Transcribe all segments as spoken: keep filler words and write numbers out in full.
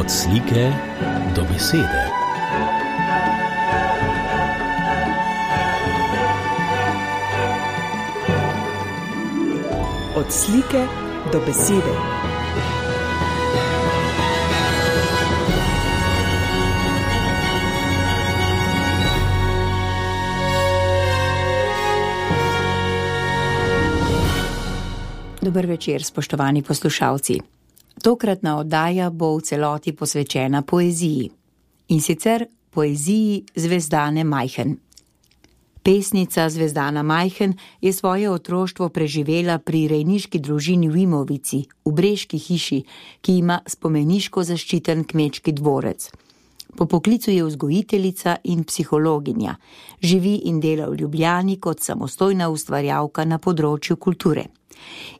Od slike do besede. Od slike do besede. Dober večer, spoštovani poslušalci. Tokratna oddaja bo v celoti posvečena poeziji. In sicer poeziji Zvezdane Majhen. Pesnica Zvezdana Majhen je svoje otroštvo preživela pri rejniški družini v Imovici, v Breški hiši, ki ima spomeniško zaščiten kmečki dvorec. Po poklicu je vzgojiteljica in psihologinja. Živi in dela v Ljubljani kot samostojna ustvarjalka na področju kulture.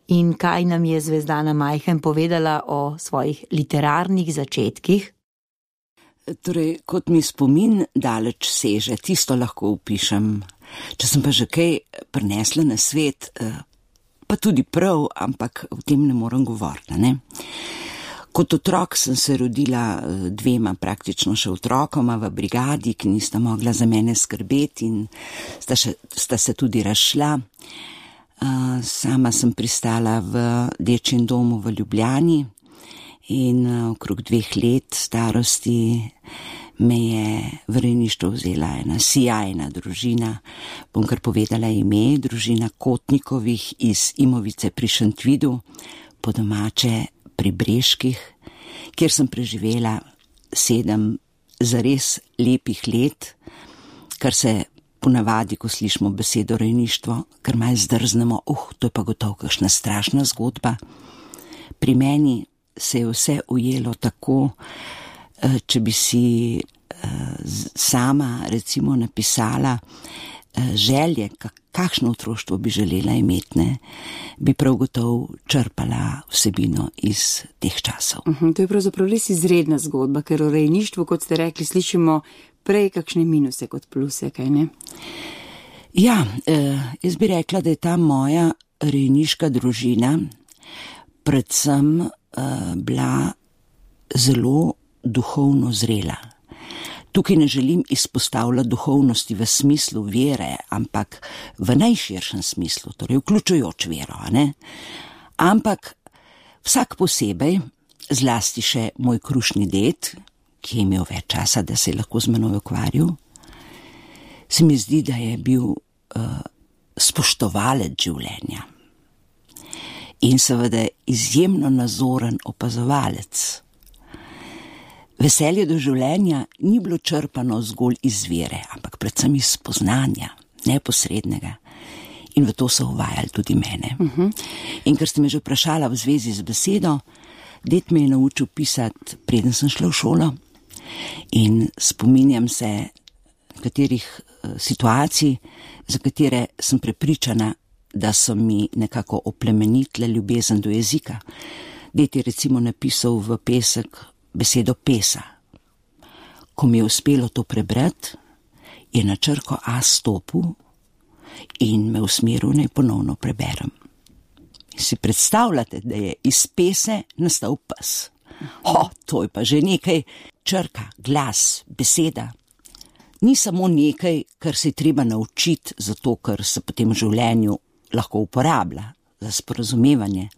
In kaj nam je Zvezdana Majhen povedala o svojih literarnih začetkih? Torej, kot mi spomin daleč seže, tisto lahko upišem. Če sem pa že kaj prinesla na svet, pa tudi prav, ampak o tem ne morem govoriti, ne? Kot otrok sem se rodila dvema praktično še otrokoma v brigadi, ki nista mogla za mene skrbeti in sta, še, sta se tudi razšla. Uh, sama sem pristala v dečjem domu v Ljubljani in uh, okrog dveh let starosti me je v rejništvo vzela ena sijajna družina, bom kar povedala ime, družina Kotnikovih iz Imovice pri Šentvidu, po domače pri Breških, kjer sem preživela sedem zares lepih let, kar se ponavadi, ko slišimo besedo rejništvo, kar malo zdrznemo, uh, to je pa gotovo kakšna strašna zgodba. Pri meni se je vse ujelo tako, če bi si sama recimo napisala želje, kakšno otroštvo bi želela imeti, ne, bi prav gotovo črpala vsebino iz teh časov. Uh-huh, to je pravzaprav res izredna zgodba, ker o rejništvu, kot ste rekli, slišimo prej kakšne minuse kot pluse, kaj ne? Ja, eh, jaz bi rekla, da je ta moja rejniška družina predvsem eh, bila zelo duhovno zrela. Tukaj ne želim izpostavljati duhovnosti v smislu vere, ampak v najširšem smislu, torej vključujoč vero, a ne? Ampak vsak posebej, zlasti še moj krušni ded, ki je imel več časa, da se je lahko z menoj ukvarjal, se mi zdi, da je bil uh, spoštovalec življenja in seveda izjemno nazoren opazovalec. Veselje do življenja ni bilo črpano zgolj iz vere, ampak predvsem iz spoznanja, neposrednega. In v to so uvajali tudi mene. Uh-huh. In ker ste me že vprašala v zvezi z besedo, ded me je naučil pisati, preden sem šla v šolo. In spominjam se katerih situacij, za katere sem prepričana, da so mi nekako oplemenitle ljubezen do jezika. Ded je recimo napisal v pesek besedo pesa. Ko mi je uspelo to prebrati, je na črko A stopil in me usmeril, naj ponovno preberem. In si predstavljate, da je iz pese nastal pes. O, to je pa že nekaj. Črka, glas, beseda ni samo nekaj, kar se je treba naučiti, zato ker se potem v življenju lahko uporablja za sporazumevanje.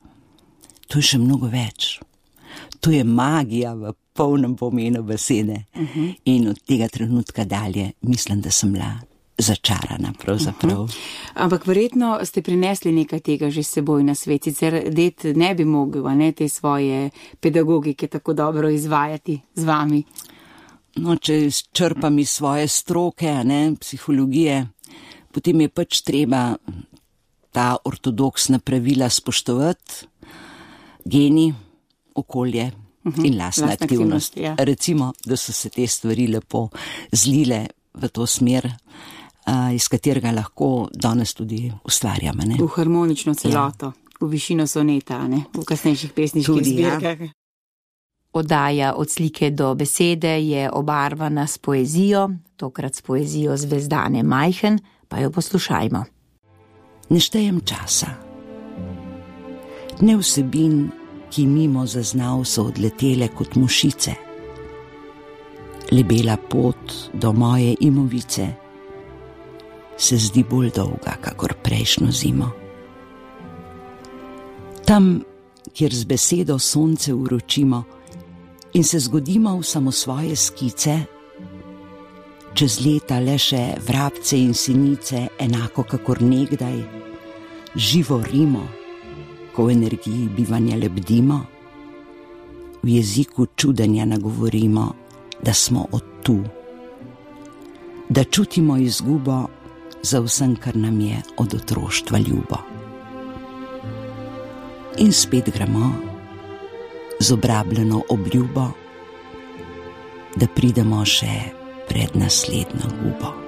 To je še mnogo več. To je magija v polnem pomenu besede. Uh-huh. In od tega trenutka dalje mislim, da sem bila začarana pravzaprav. Uh-huh. Ampak verjetno ste prinesli nekaj tega že s seboj na svet, sicer ded ne bi mogel, ne, te svoje pedagogike tako dobro izvajati z vami. No, če črpam iz svoje stroke, ne, psihologije, potem je pač treba ta ortodoksna pravila spoštovati, geni, okolje uh-huh. in lastna aktivnost. aktivnost ja. Recimo, da so se te stvari lepo zlile v to smer, uh, iz katerega lahko danes tudi ustvarjamo. Ne? V harmonično celoto, ja. V višino soneta, ne? V kasnejših pesniških zbirkah. Ja. Oddaja Od slike do besede je obarvana s poezijo, tokrat s poezijo Zvezdane Majhen, pa jo poslušajmo. Ne štejem časa. Ne vsebin, ki mimo zaznav so odletele kot mušice. lebela pot do moje imovice se zdi bolj dolga, kakor prejšnjo zimo. Tam, kjer z besedo sonce uročimo in se zgodimo v samosvoje skice, čez leta le še vrabce in sinice, enako kakor nekdaj, živo rimo, ko v energiji bivanja lebdimo, v jeziku čudenja nagovorimo, da smo od tu, da čutimo izgubo za vsem, kar nam je od otroštva ljubo. In spet gremo z obrabljeno obljubo, da pridemo še pred naslednjo gubo.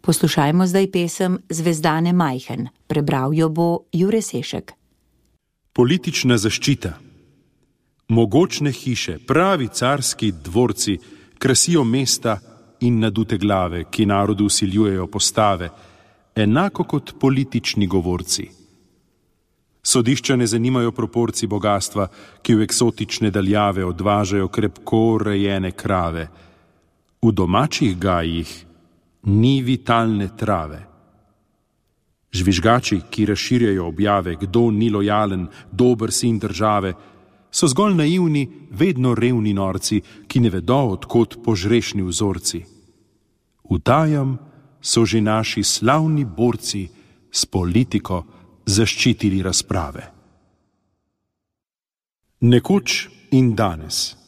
Poslušajmo zdaj pesem Zvezdane majhen. Prebral jo bo Jure Sešek. Politična zaščita. Mogočne hiše, pravi carski dvorci, krasijo mesta in nadute glave, ki narodu vsiljujejo postave, enako kot politični govorci. Sodišča ne zanimajo proporci bogatstva, ki v eksotične daljave odvažajo krepko rejene krave. V domačih gajih ni vitalne trave. Žvižgači, ki razširjajo objave, kdo ni lojalen, dober sin države, so zgolj naivni, vedno revni norci, ki ne vedo, odkot požrešni vzorci. Utajam so že naši slavni borci s politiko zaščitili razprave. Nekoč in danes.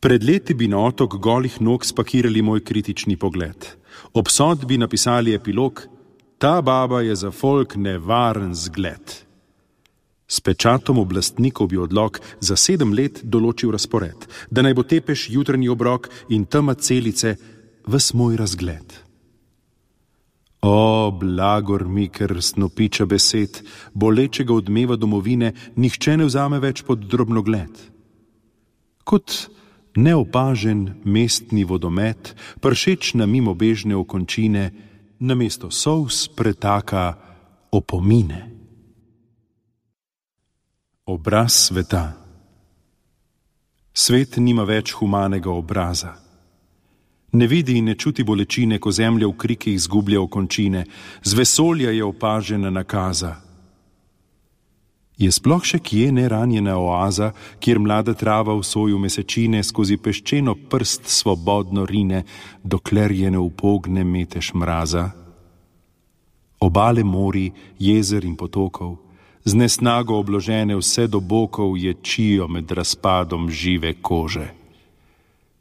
Pred leti bi na otok golih nog spakirali moj kritični pogled. Ob sodbi napisali epilog: ta baba je za folk nevaren zgled. S pečatom oblastnikov bi odlok za sedem let določil razpored, da naj bo tepež jutranji obrok in tema celice ves moj razgled. O, blagor mi, ker snopiča besed, bolečega odmeva domovine, nihče ne vzame več pod drobnogled. Kot neopažen mestni vodomet, pršeč na mimobežne okončine, namesto solz pretaka opomine. Obraz sveta. Svet nima več humanega obraza. Ne vidi in ne čuti bolečine, ko zemlja v krikih izgublja okončine, z vesolja je opažena nakaza. Je sploh še kje neranjena oaza, kjer mlada trava v soju mesečine skozi peščeno prst svobodno rine, dokler je ne upogne metež mraza? Obale mori, jezer in potokov, z nesnago obložene vse do bokov, ječijo med razpadom žive kože.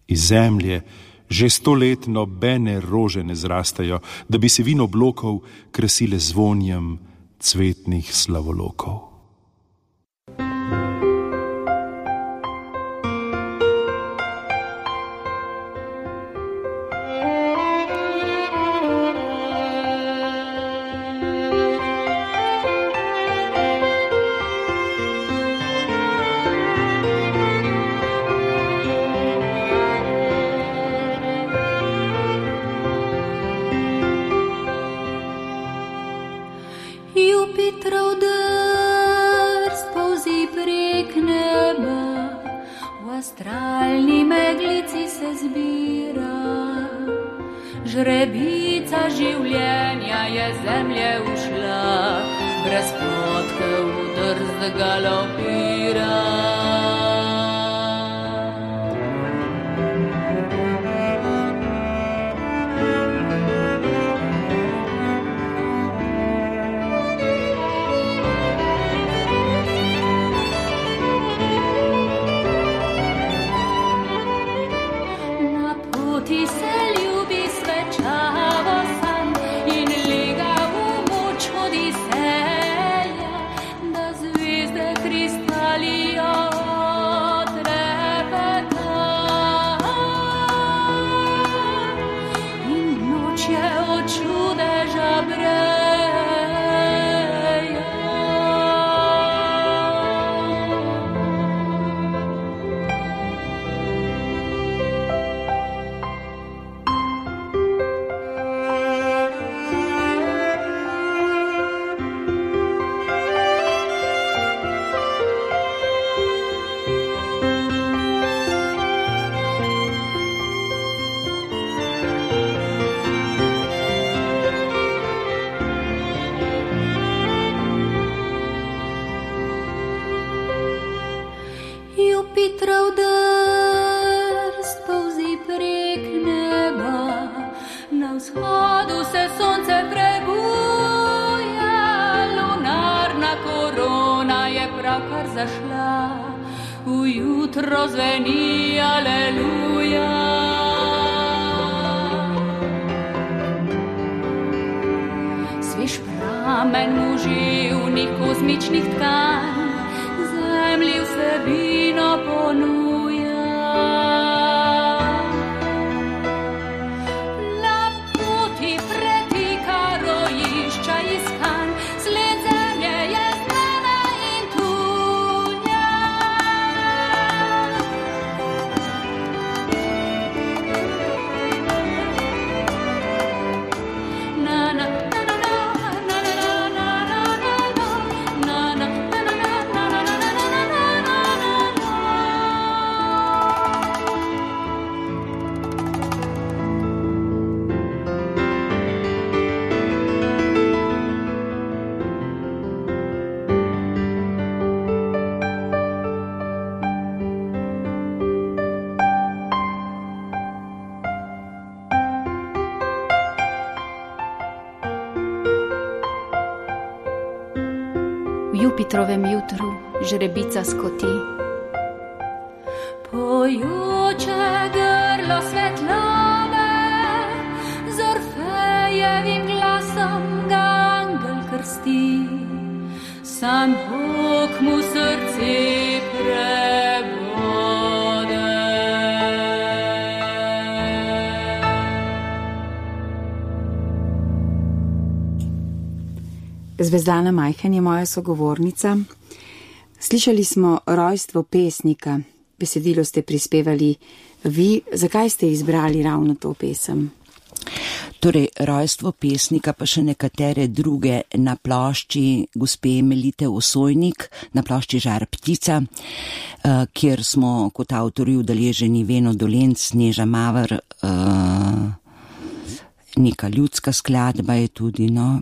Iz zemlje že sto let nobene rože ne zrastajo, da bi se vino blokov krasile zvonjem cvetnih slavolokov. Astralni meglici se zbira, žrebica življenja je zemlje ušla, brez potke v drzt galopira. vzhodu se sonce prebuja, lunarna korona je pravkar zašla, ujutro zveni aleluja. Svež pramen muživnih kozmičnih tkanj zemlji vsebino ponuja. Na poti pretika rojišča iskan, sled zemlje je znana in tuja. Na, na, na, na, na, na, na, na, na, na, na, V Jupitrovem jutru žrebica skoti. Pojoče grlo svetlave, z Orfejevim glasom ga angel krsti, sam Bog mu srce prebode. Zvezdana Majhen je moja sogovornica. Slišali smo rojstvo pesnika, besedilo ste prispevali vi. Zakaj ste izbrali ravno to pesem? Torej, rojstvo pesnika pa še nekatere druge na plošči gospe Melite Osojnik, na plošči Žar ptica, kjer smo kot avtorji udeleženi Veno Dolenc, Neža Maver, neka ljudska skladba je tudi, no,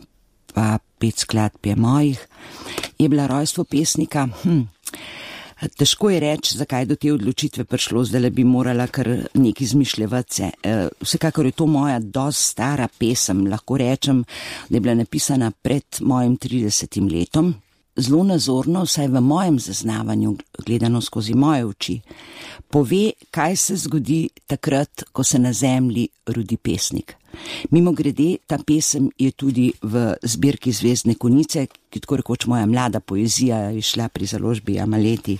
pa pet skladb je mojih, je bila rojstvo pesnika. Hm. Težko je reči, zakaj do te odločitve prišlo, zdaj bi morala kar neki izmišljevati se. Vsekakor je to moja dosti stara pesem, lahko rečem, da je bila napisana pred mojim tridesetim letom. Zelo nazorno, vsaj v mojem zaznavanju, gledano skozi moje oči, pove, kaj se zgodi takrat, ko se na zemlji rodi pesnik. Mimo grede, ta pesem je tudi v zbirki Zvezdne konice, ki tako rekoč moja mlada poezija je šla pri založbi Amaleti.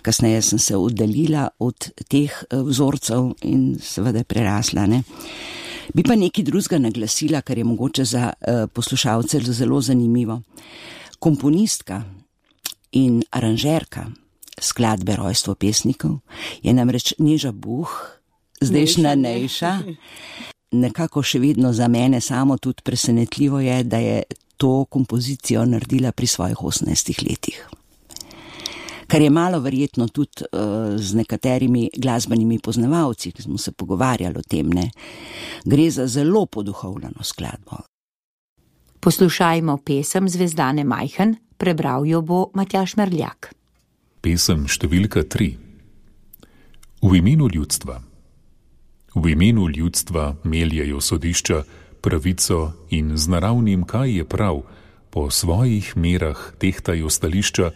Kasneje sem se oddaljila od teh vzorcev in seveda prerasla, ne. Bi pa nekaj drugega naglasila, kar je mogoče za poslušalce zelo zanimivo. Komponistka in aranžerka skladbe Rojstvo pesnikov je namreč Neža Buh, zdajšnja Nejša. Nekako še vedno za mene samo tudi presenetljivo je, da je to kompozicijo naredila pri svojih osemnajstih letih. Kar je malo verjetno tudi uh, z nekaterimi glasbenimi poznavalci, ki smo se pogovarjali o tem, ne. Gre za zelo poduhovljeno skladbo. Poslušajmo pesem Zvezdane Majhen, prebral jo bo Matjaž Merljak. Pesem številka tri. V imenu ljudstva. V imenu ljudstva meljejo sodišča pravico in z naravnim, kaj je prav, po svojih merah tehtajo stališča,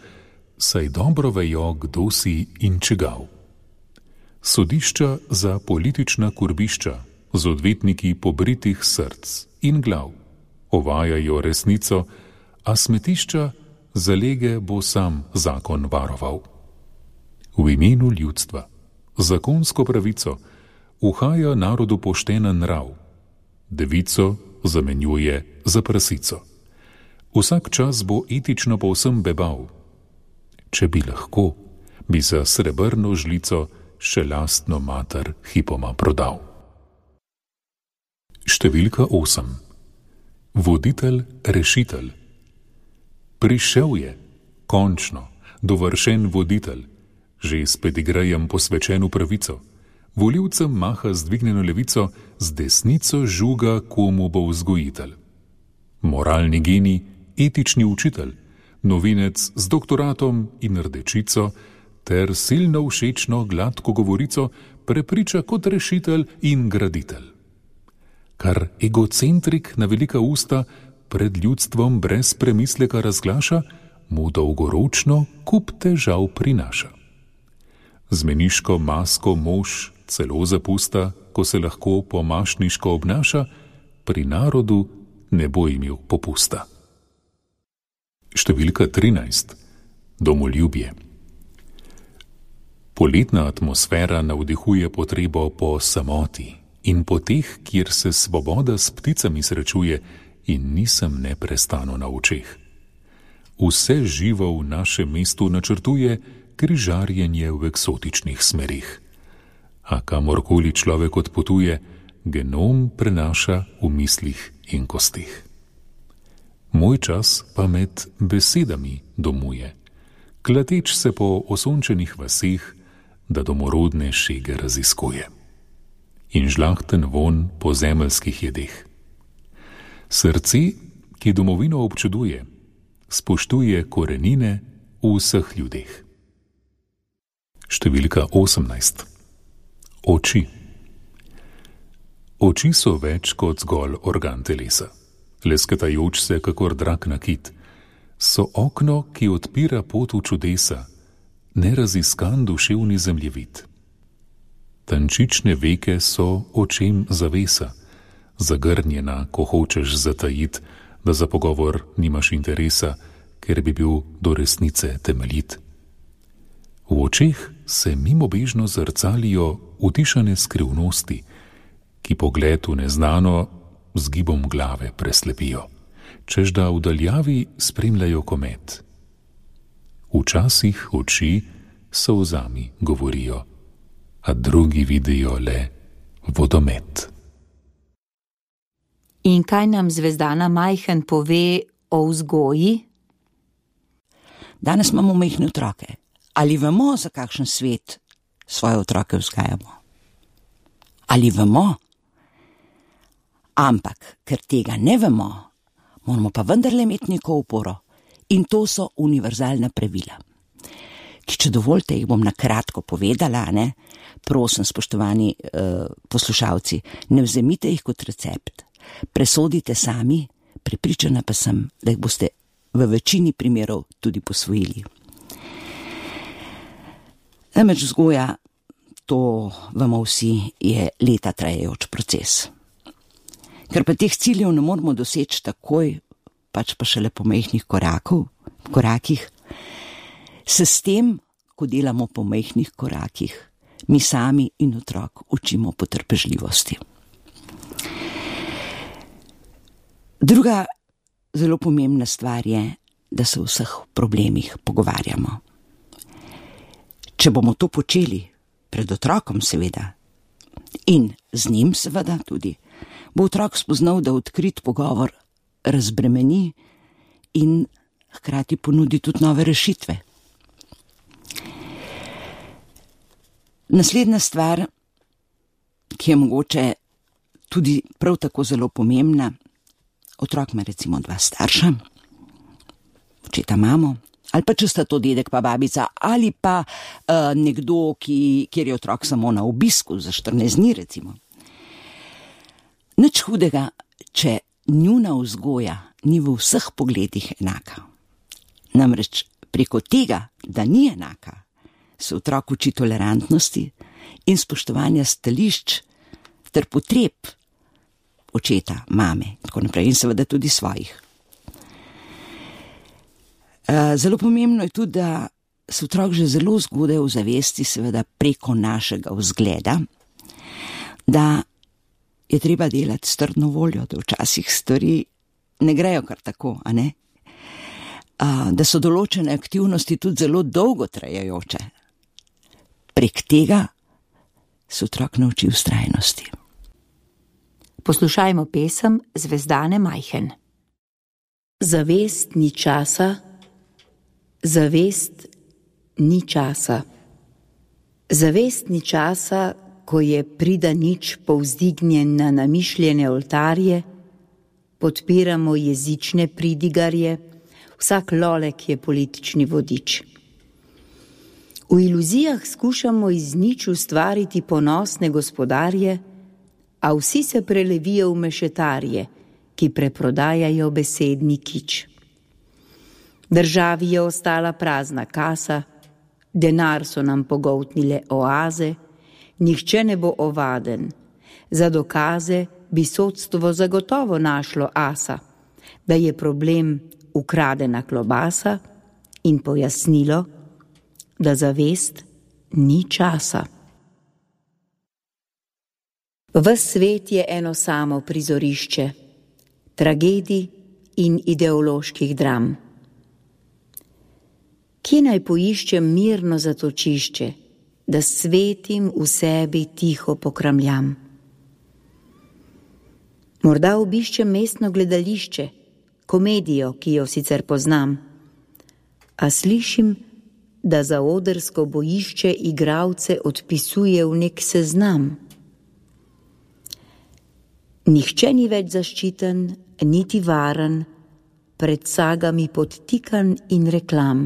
saj dobro vejo, kdo si in čigav. Sodišča za politična kurbišča, z odvetniki pobritih src in glav, ovajajo resnico, a smetišča zalege bo sam zakon varoval. V imenu ljudstva, zakonsko pravico, uhaja narodu poštenen nrav, devico zamenjuje za prasico. Vsak čas bo etično povsem bebav. Če bi lahko, bi za srebrno žlico še lastno mater hipoma prodal. Številka osem. Voditelj, rešitelj. Prišel je, končno, dovršen voditelj, že s pedigrejem posvečen v pravico. Volivcem maha z dvignjeno levico, z desnico žuga, komu bo vzgojitelj. Moralni genij, etični učitelj, novinec z doktoratom in rdečico, ter silno všečno gladko govorico prepriča kot rešitelj in graditelj. kar egocentrik na velika usta pred ljudstvom brez premisleka razglaša, mu dolgoročno kup težav prinaša. Z meniško masko mož celo zapusta, ko se lahko pomašniško obnaša, pri narodu ne bo imel popusta. Številka trinajst. Domoljubje. Poletna atmosfera navdihuje potrebo po samoti in po teh, kjer se svoboda s pticami srečuje in nisem neprestano na očeh. Vse živo v našem mestu načrtuje križarjenje v eksotičnih smerih. A kamorkoli človek odpotuje, genom prenaša v mislih in kostih. Moj čas pa med besedami domuje, klateč se po osončenih vaseh, da domorodne šege raziskuje. In žlahten von po zemeljskih jedeh. Srce, ki domovino občuduje, spoštuje korenine v vseh ljudeh. Številka osemnajst. Oči. Oči so več kot zgolj organ telesa. Lesketajoč se kakor drak nakit. So okno, ki odpira pot v čudesa, neraziskan duševni zemljevid. Tančične veke so očem zavesa, zagrnjena, ko hočeš zatajit, da za pogovor nimaš interesa, ker bi bil do resnice temeljit. V očeh se mimobežno zrcalijo utišane skrivnosti, ki pogled v neznano z gibom glave preslepijo, čež da v daljavi spremljajo komet. Včasih oči solzami govorijo, a drugi vidijo le vodomet. In kaj nam Zvezdana Majhen pove o vzgoji? Danes imamo majhne otroke. Ali vemo, za kakšen svet svoje otroke vzgajamo? Ali vemo? Ampak, ker tega ne vemo, moramo pa vendarle imeti neko oporo. In to so univerzalna pravila. Ki, če dovolite, jih bom na kratko povedala, ne? Prosim, spoštovani uh, poslušalci, ne vzemite jih kot recept. Presodite sami, prepričana pa sem, da jih boste v večini primerov tudi posvojili. Namreč vzgoja, to vemo vsi, je leta trajajoč proces. Ker pa teh ciljev ne moramo doseči takoj, pač pa šele po majhnih korakov, korakih, se s tem, ko delamo po majhnih korakih, mi sami in otrok učimo potrpežljivosti. Druga zelo pomembna stvar je, da se o vseh problemih pogovarjamo. Če bomo to počeli, pred otrokom seveda, in z njim seveda tudi, bo otrok spoznal, da odkrit pogovor razbremeni in hkrati ponudi tudi nove rešitve. Naslednja stvar, ki je mogoče tudi prav tako zelo pomembna, otrok ima recimo dva starša, očeta mamo, ali pa če sta to dedek pa babica, ali pa uh, nekdo, ki, kjer je otrok samo na obisku za štirinajst dni recimo. Nič hudega, če njuna vzgoja ni v vseh pogledih enaka. Namreč preko tega, da ni enaka, se otrok uči tolerantnosti in spoštovanja stališč ter potreb očeta, mame, tako naprej, in seveda tudi svojih. Zelo pomembno je tudi, da se otrok že zelo zgodaj ozavesti, seveda preko našega vzgleda, da je treba delati s trdno voljo, da včasih stvari ne grejo kar tako, a ne? A, da so določene aktivnosti tudi zelo dolgo trajajoče. Prek tega se otrok nauči vztrajnosti. Poslušajmo pesem Zvezdane Majhen. Zavest ni časa, zavest ni časa. Zavest ni časa, ko je prida nič povzdignjen na namišljene oltarje, podpiramo jezične pridigarje, vsak lolek je politični vodič. V iluzijah skušamo iz nič ustvariti ponosne gospodarje, a vsi se prelevijo v mešetarje, ki preprodajajo besedni kič. Državi je ostala prazna kasa, denar so nam pogoltnile oaze, nihče ne bo ovaden. Za dokaze bi sodstvo zagotovo našlo asa, da je problem ukradena klobasa in pojasnilo, da za vest ni časa. Ves svet je eno samo prizorišče, tragedij in ideoloških dram. Kje naj poiščem mirno zatočišče, da svetim v sebi tiho pokramljam? Morda obiščem mestno gledališče, komedijo, ki jo sicer poznam, a slišim, da za odrsko bojišče igralce odpisuje v nek seznam. Nihče ni več zaščiten, niti varen, pred sagami podtikan in reklam.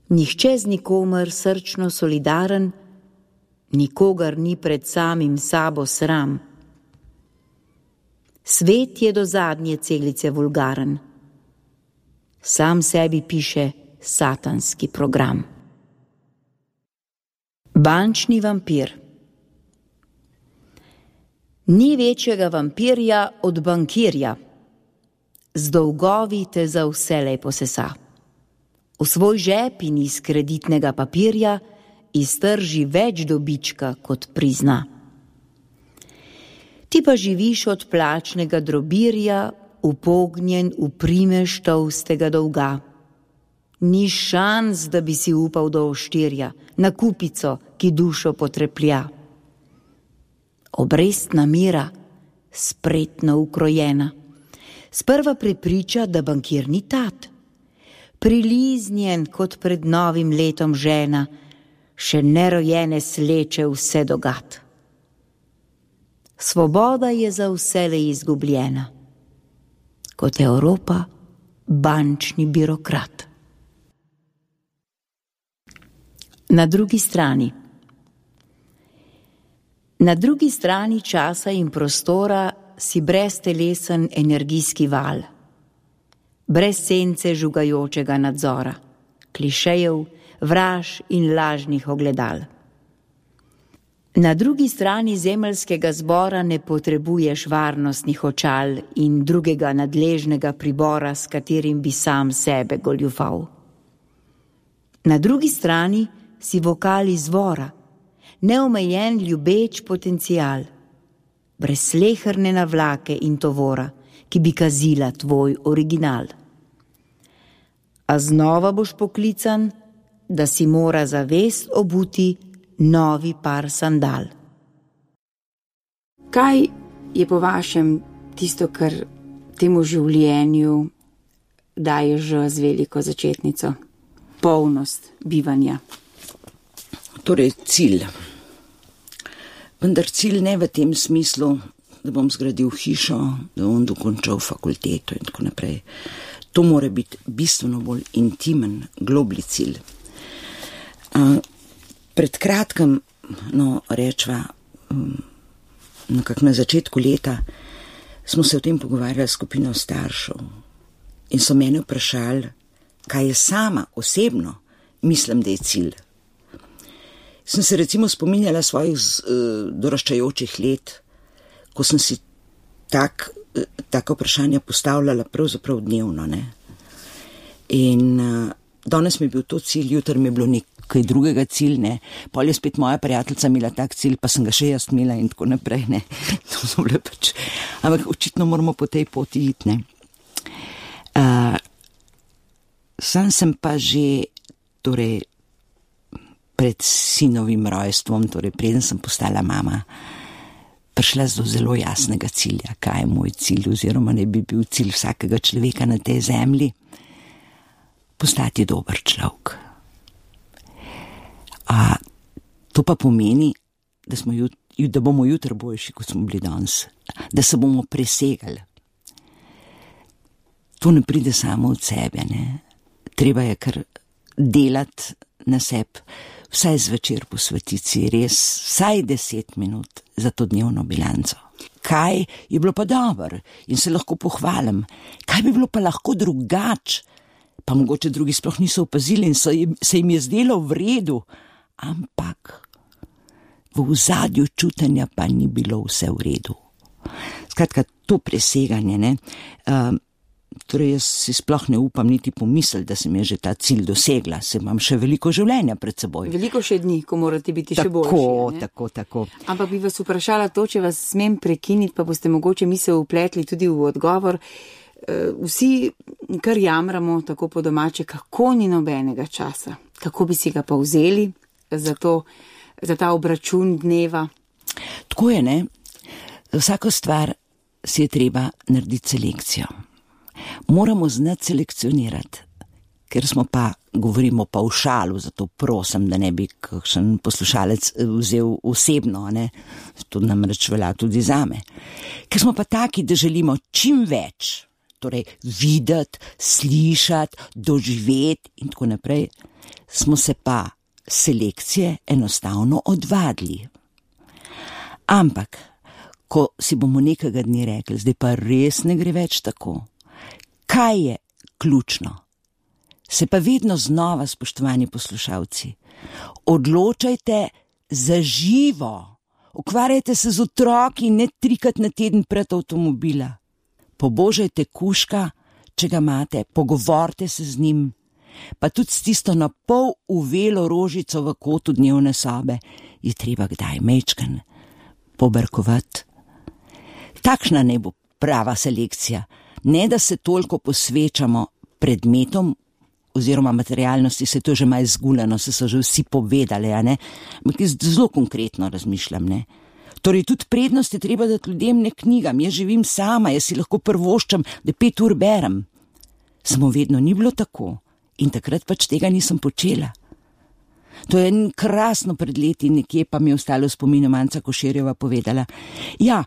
Nihče z nikomer srčno solidaren, nikogar ni pred samim sabo sram. Svet je do zadnje celice vulgaren. Sam sebi piše satanski program. Bančni vampir. Ni večjega vampirja od bankirja. Z dolgovi te za vselej posesa. V svoj žep in iz kreditnega papirja iztrži več dobička, kot prizna. Ti pa živiš od plačnega drobirja, upognjen v primež tolstega dolga. Ni šans, da bi si upal do oštirja, na kupico, ki dušo potreplja. Obrestna mira, spretno ukrojena, sprva prepriča, da bankir ni tat. Priliznjen kot pred novim letom žena, še nerojene sleče vse dogat. Svoboda je za vselej izgubljena, kot Evropa bančni birokrat. Na drugi strani. Na drugi strani časa in prostora si breztelesen energijski val, brez sence žugajočega nadzora, klišejev, vraž in lažnih ogledal. Na drugi strani zemeljskega zbora ne potrebuješ varnostnih očal in drugega nadležnega pribora, s katerim bi sam sebe goljufal. Na drugi strani si vokal izvora, neomejen ljubeč potencial, brez sleherne navlake in tovora, ki bi kazila tvoj original. A znova boš poklican, da si mora zavest obuti novi par sandal. Kaj je po vašem tisto, kar temu življenju daje že z veliko začetnico? Polnost bivanja. Torej cilj. Vendar cilj ne v tem smislu, da bom zgradil hišo, da bom dokončal fakulteto in tako naprej. To mora biti bistveno bolj intimen, globli cilj. Uh, pred kratkem, no rečva, um, nekako na začetku leta, smo se o tem pogovarjali s skupino staršev in so mene vprašali, kaj je sama osebno mislim, da je cilj. Sem se recimo spominjala svojih uh, doraščajočih let, ko sem si tak, uh, taka vprašanja postavljala pravzaprav dnevno, ne. In uh, danes mi je bil to cilj, jutri mi je bilo nekaj drugega cilj, ne. Pol je spet moja prijateljica imela tak cilj, pa sem ga še jaz imela in tako naprej, ne. To so bile pač, ampak očitno moramo po tej poti iti, ne. Uh, sam sem pa že, torej, pred sinovim rojstvom, torej preden sem postala mama, prišla do zelo jasnega cilja, kaj je moj cilj, oziroma ne bi bil cilj vsakega človeka na tej zemlji, postati dober človek. A to pa pomeni, da, smo jut, da bomo jutri boljši, kot smo bili danes, da se bomo presegali. To ne pride samo od sebe, ne. Treba je kar delati na sebi, vsaj zvečer posvetiti si res vsaj deset minut za to dnevno bilanco. Kaj je bilo pa dobro in se lahko pohvalim, kaj bi bilo pa lahko drugače, pa mogoče drugi sploh niso opazili in so jim, se jim je zdelo v redu, ampak v ozadju čutenja pa ni bilo vse v redu. Skratka, to preseganje, ne, uh, torej jaz si sploh ne upam niti pomisliti, da sem je že ta cilj dosegla, se imam še veliko življenja pred seboj. Veliko še dni, ko morate biti še boljši. Tako, tako, tako. Ampak bi vas vprašala to, če vas smem prekiniti, pa boste mogoče misel upletli tudi v odgovor. Vsi kar jamramo tako po domače, kako ni nobenega časa. Kako bi si ga pa vzeli za, to, za ta obračun dneva? Tako je, ne? Vsako stvar si je treba narediti selekcijo. Moramo znati selekcionirati, ker smo pa, govorimo pa v šalu, zato prosim, da ne bi kakšen poslušalec vzel osebno, ne? To namreč velja tudi zame. Ker smo pa taki, da želimo čim več, torej videti, slišati, doživeti in tako naprej, smo se pa selekcije enostavno odvadili. Ampak, ko si bomo nekega dne rekli, zdaj pa res ne gre več tako, kaj je ključno? Se pa vedno znova, spoštovani poslušalci, odločajte za živo. Ukvarjajte se z otroki, ne trikrat na teden pred avtomobila. Pobožajte kužka, če ga imate, pogovorite se z njim, pa tudi s tisto na pol uvelo rožico v kotu dnevne sobe je treba kdaj mečkan pobrkovati. Takšna ne bo prava selekcija. Ne, da se toliko posvečamo predmetom oziroma materialnosti, se to že malo zguleno, se so že vsi povedali, a ne? Ampak jaz zelo konkretno razmišljam, ne? Torej, tudi prednost je treba dati ljudem, ne knjigam. Jaz živim sama, jaz si lahko prvoščam, da pet ur berem. Samo vedno ni bilo tako in takrat pač tega nisem počela. To je krasno pred leti, nekje pa mi je ostalo v spominu Manca Koširjeva povedala. Ja,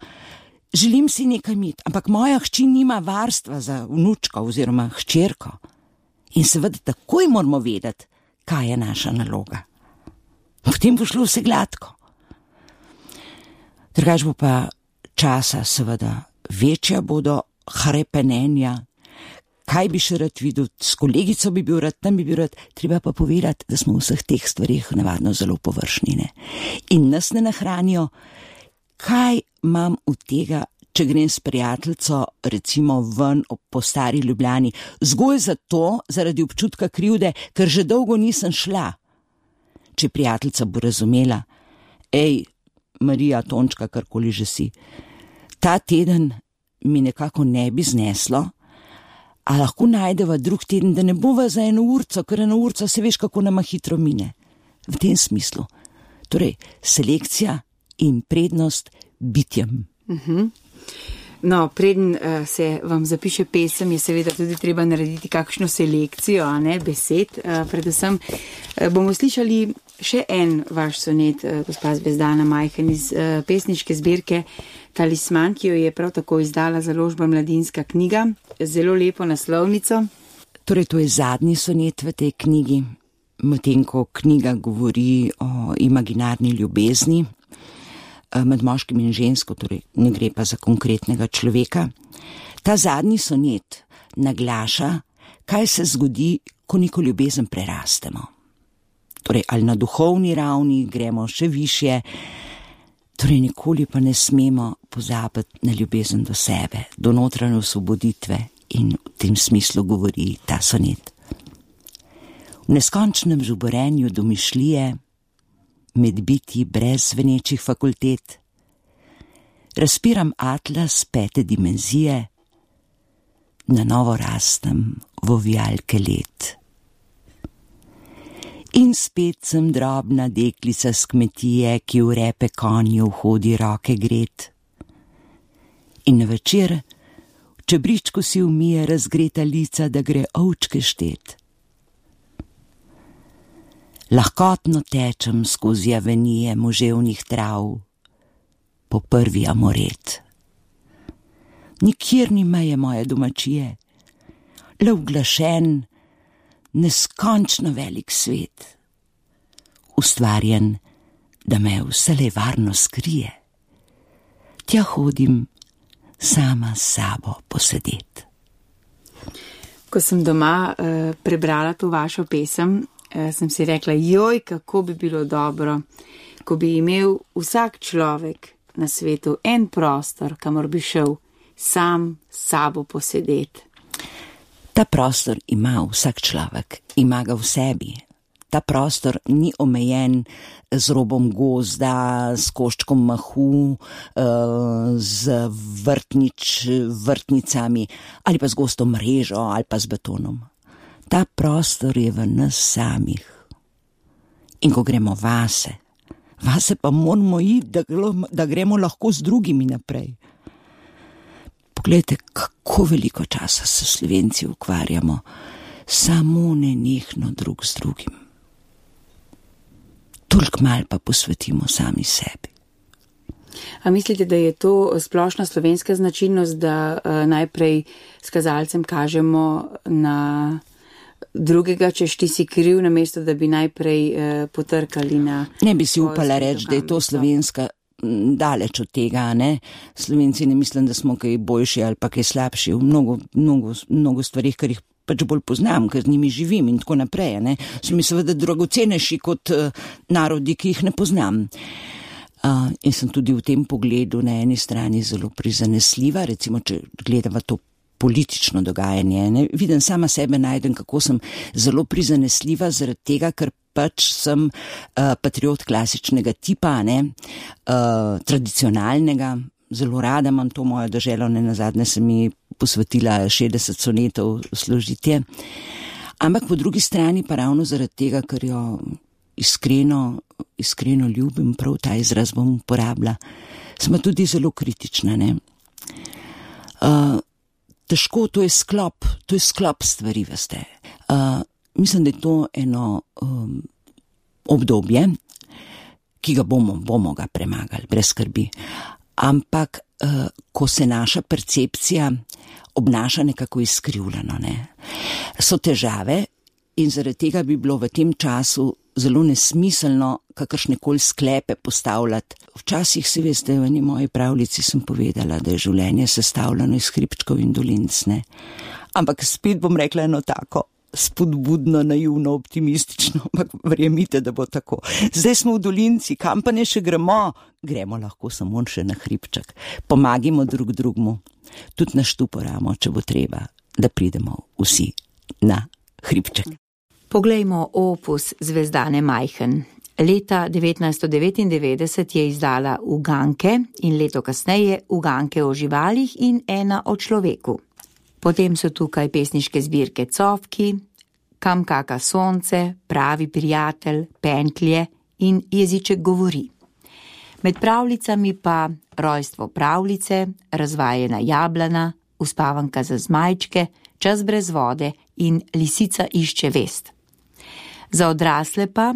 želim si nekaj imeti, ampak moja hči nima varstva za vnučko oziroma hčerko. In seveda takoj moramo vedeti, kaj je naša naloga. Potem bo šlo vse gladko. Drugač bo pa časa seveda večja bodo hrepenenja. Kaj bi še rad videl, s kolegico bi bil rad, tam bi bil rad, treba pa povedati, da smo v vseh teh stvarih navadno zelo površnine. In nas ne nahranijo. Kaj imam od tega, če grem s prijateljico, recimo ven po stari Ljubljani, zgolj zato, zaradi občutka krivde, ker že dolgo nisem šla. Če prijateljica bo razumela, ej, Marija, Tončka, karkoli že si, ta teden mi nekako ne bi zneslo, a lahko najdeva drug teden, da ne bova za eno urco, ker eno urco se veš, kako nama hitro mine. V tem smislu. Torej, selekcija in prednost bitjem. Uh-huh. No, preden uh, se vam zapiše pesem, je seveda tudi treba narediti kakšno selekcijo, a ne, besed. Uh, predvsem uh, bomo slišali še en vaš sonet, uh, gospa Zvezdana Majhen, iz uh, pesniške zbirke Talisman, ki jo je prav tako izdala založba Mladinska knjiga, zelo lepo naslovnico. Torej, to je zadnji sonet v tej knjigi, medtem ko knjiga govori o imaginarni ljubezni med moškim in žensko, torej ne gre pa za konkretnega človeka. Ta zadnji sonet naglaša, kaj se zgodi, ko neko ljubezen prerastemo. Torej, ali na duhovni ravni gremo še višje, torej nikoli pa ne smemo pozabiti na ljubezen do sebe, do notranje osvoboditve, in v tem smislu govori ta sonet. V neskončnem žuborenju domišljije, med bitji brez zvenečih fakultet, razpiram atlas pete dimenzije, na novo rastem v ovijalke let. In spet sem drobna deklica s kmetije, ki v repe konju hodi roke gret. In na večer v čebričku si umije razgreta lica, da gre ovčke štet. Lahkotno tečem skozi avenije moževnih trav, po prvi amoret. Nikjer ni meje moje domačije, le uglašen, neskončno velik svet. ustvarjen, da me vselej varno skrije. Tja hodim sama s sabo posedet. Ko sem doma uh, prebrala to vašo pesem, uh, sem si rekla, joj, kako bi bilo dobro, ko bi imel vsak človek na svetu en prostor, kamor bi šel sam s sabo posedet. Ta prostor ima vsak človek, ima ga v sebi. Ta prostor ni omejen z robom gozda, s koščkom mahu, z vrtnič, vrtnicami ali pa z gosto mrežo ali pa z betonom. Ta prostor je v nas samih. In ko gremo vase, vase pa moramo iti, da, da gremo lahko z drugimi naprej. Poglejte, kako veliko časa se Slovenci ukvarjamo samo nenehno drug z drugim. Toliko malo pa posvetimo sami sebi. A mislite, da je to splošna slovenska značilnost, da uh, najprej s kazalcem kažemo na drugega, češ ti si kriv, namesto da bi najprej uh, potrkali na... Ne bi si upala reči, da je to slovenska, daleč od tega, ne? Slovenci ne mislim, da smo kaj boljši ali pa kaj slabši v mnogo, mnogo, mnogo stvarih, kar jih pač bolj poznam, ker z njimi živim in tako naprej, ne. So mi seveda dragocenejši kot uh, narodi, ki jih ne poznam. Uh, in sem tudi v tem pogledu na eni strani zelo prizanesljiva, recimo, če gledava to politično dogajanje, ne. Vidim sama sebe, najdem, kako sem zelo prizanesljiva zaradi tega, ker pač sem uh, patriot klasičnega tipa, ne, uh, tradicionalnega. Zelo rada imam to mojo deželo, ne nazadnje sem mi posvetila šestdeset sonetov složitje. Ampak po drugi strani pa ravno zaradi tega, ker jo iskreno, iskreno ljubim, prav ta izraz bom uporabila, smo tudi zelo kritična, ne. Uh, težko, to je sklop, to je sklop stvari, veste. Uh, mislim, da je to eno um, obdobje, ki ga bomo, bomo ga premagali, brez skrbi. Ampak, uh, ko se naša percepcija obnaša nekako izkrivljeno, ne, so težave in zaradi tega bi bilo v tem času zelo nesmiselno kakršnekoli sklepe postavljati. Včasih, si veste, v eni moji pravljici sem povedala, da je življenje sestavljeno iz hribčkov in dolinc, ne. Ampak spet bom rekla eno tako spodbudno, naivno, optimistično, ampak verjemite, da bo tako. Zdaj smo v dolinci, kam pa ne še gremo? Gremo lahko samo še na hribček. Pomagimo drug drugmu, tudi na štuporamo, če bo treba, da pridemo vsi na hribček. Poglejmo opus Zvezdane Majhen. Leta devetnajststo devetindevetdeset je izdala Uganke in leto kasneje Uganke o živalih in ena o človeku. Potem so tukaj pesniške zbirke Cofki, Kam kaka sonce, Pravi prijatelj, Pentlje in Jeziček govori. Med pravljicami pa Rojstvo pravljice, Razvajena jablana, Uspavanka za zmajčke, Čas brez vode in Lisica išče vest. Za odrasle pa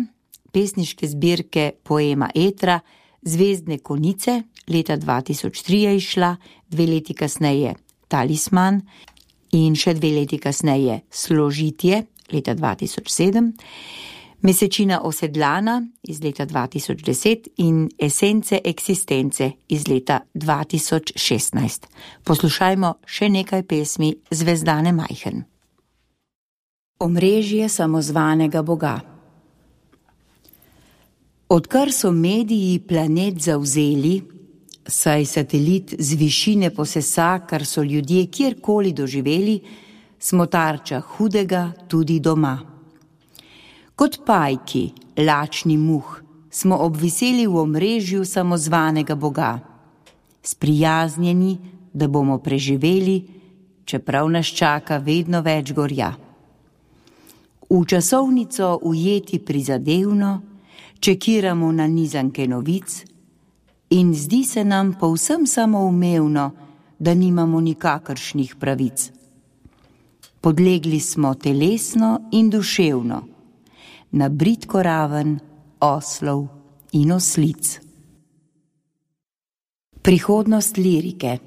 pesniške zbirke Poema Etra, Zvezdne konice, leta dva tisoč tri je izšla, dve leti kasneje Talisman in še dve leti kasneje Složitje, leta dva tisoč sedem, Mesečina osedlana iz leta dva tisoč deset in Esence eksistence iz leta dva tisoč šestnajst. Poslušajmo še nekaj pesmi Zvezdane Majhen. Omrežje samozvanega Boga. Odkar so mediji planet zavzeli, saj satelit z višine posesa, kar so ljudje kjerkoli doživeli, smo tarča hudega tudi doma. Kot pajki, lačni muh, smo obviseli v omrežju samozvanega Boga, sprijaznjeni, da bomo preživeli, čeprav nas čaka vedno več gorja. V časovnico ujeti prizadevno, čekiramo na nizanke novic in zdi se nam povsem samoumevno, da nimamo nikakršnih pravic. Podlegli smo telesno in duševno, na bridko raven oslov in oslic. Prihodnost lirike.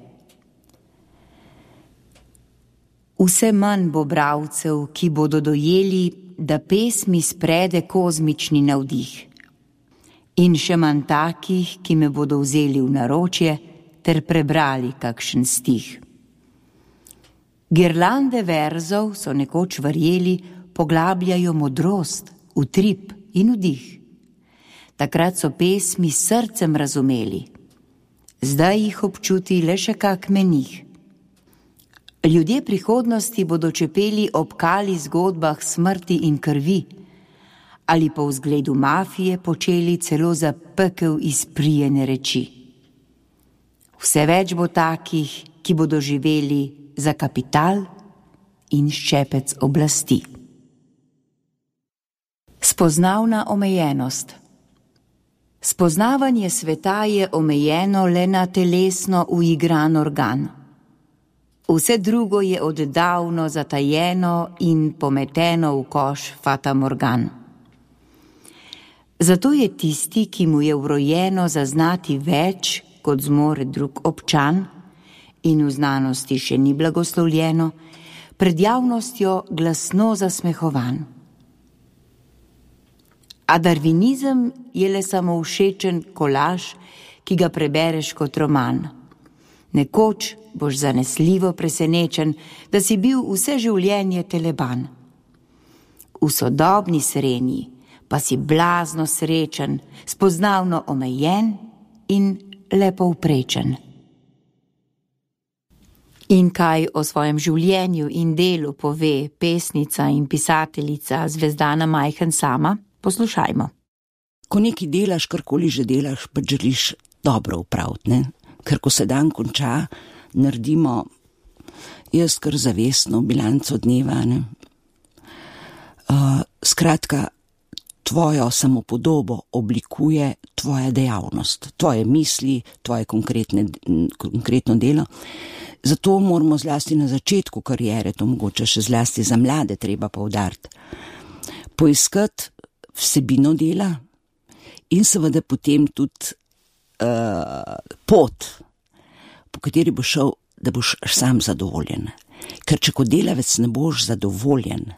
Vse manj bo bralcev, ki bodo dojeli, da pesmi sprede kozmični navdih, In še manj takih, ki me bodo vzeli v naročje ter prebrali kakšen stih. Girlande verzov, so nekoč verjeli, poglabljajo modrost, utrip in vdih. Takrat so pesmi s srcem razumeli, zdaj jih občuti le še kak menih. Ljudje prihodnosti bodo čepeli ob kali zgodbah smrti in krvi, ali po vzgledu mafije počeli celo za pekel izprijene reči. Vse več bo takih, ki bodo živeli za kapital in ščepec oblasti. Spoznavna omejenost. Spoznavanje sveta je omejeno le na telesno uigran organ. Vse drugo je oddavno zatajeno in pometeno v koš fatamorgan. Zato je tisti, ki mu je vrojeno zaznati več, kot zmore drug občan, in v znanosti še ni blagoslovljeno, pred javnostjo glasno zasmehovan. A darvinizem je le samo všečen kolaž, ki ga prebereš kot roman. Nekoč boš zanesljivo presenečen, da si bil vse življenje teleban. V sodobni srenji pa si blazno srečen, spoznavno omejen in lepo vprečen. In kaj o svojem življenju in delu pove pesnica in pisateljica Zvezdana Majhen sama? Poslušajmo. Ko nekaj delaš, karkoli že delaš, pa želiš dobro upraviti, ne? Ker ko se dan konča, naredimo jaz kar zavestno bilanco dneva, ne? Uh, skratka, tvojo samopodobo oblikuje tvoja dejavnost, tvoje misli, tvoje konkretne, konkretno delo. Zato moramo zlasti na začetku kariere, to mogoče še zlasti za mlade treba poudariti, poiskati vsebino dela in seveda potem tudi uh, pot, po kateri boš šel, da boš sam zadovoljen. Ker če kot delavec ne boš zadovoljen,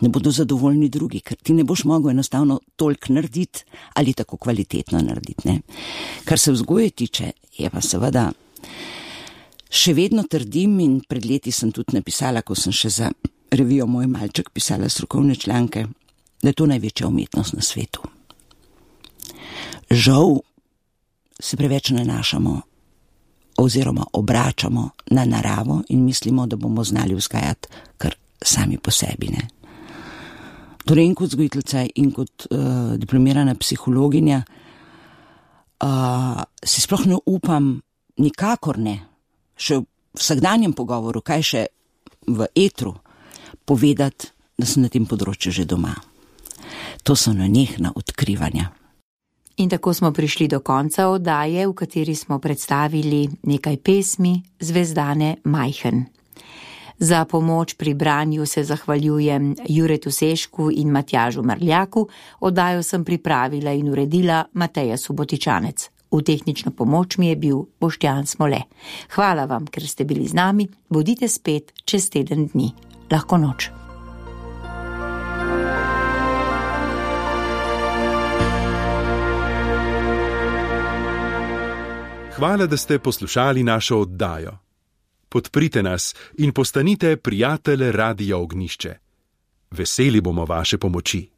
ne bodo zadovoljni drugi, ker ti ne boš mogel enostavno toliko narediti ali tako kvalitetno narediti, ne. Kar se vzgoje tiče, je pa seveda še vedno trdim in pred leti sem tudi napisala, ko sem še za revijo Moj malček pisala strokovne članke, da je to največja umetnost na svetu. Žal se preveč nanašamo oziroma obračamo na naravo in mislimo, da bomo znali vzgajati kar sami po sebi, ne. Torej in kot vzgojiteljica in kot uh, diplomirana psihologinja uh, si sploh ne upam, nikakor ne, še v vsakdanjem pogovoru, kaj še v etru, povedati, da sem na tem področju že doma. To so nenehna odkrivanja. In tako smo prišli do konca oddaje, v kateri smo predstavili nekaj pesmi Zvezdane Majhen. Za pomoč pri branju se zahvaljujem Juretu Sešku in Matjažu Mrljaku, oddajo sem pripravila in uredila Mateja Subotičanec. V tehnično pomoč mi je bil Boštjan Smole. Hvala vam, ker ste bili z nami, bodite spet čez teden dni. Lahko noč. Hvala, da ste poslušali našo oddajo. Podprite nas in postanite prijatelj Radia Ognjišče. Veseli bomo vaše pomoči.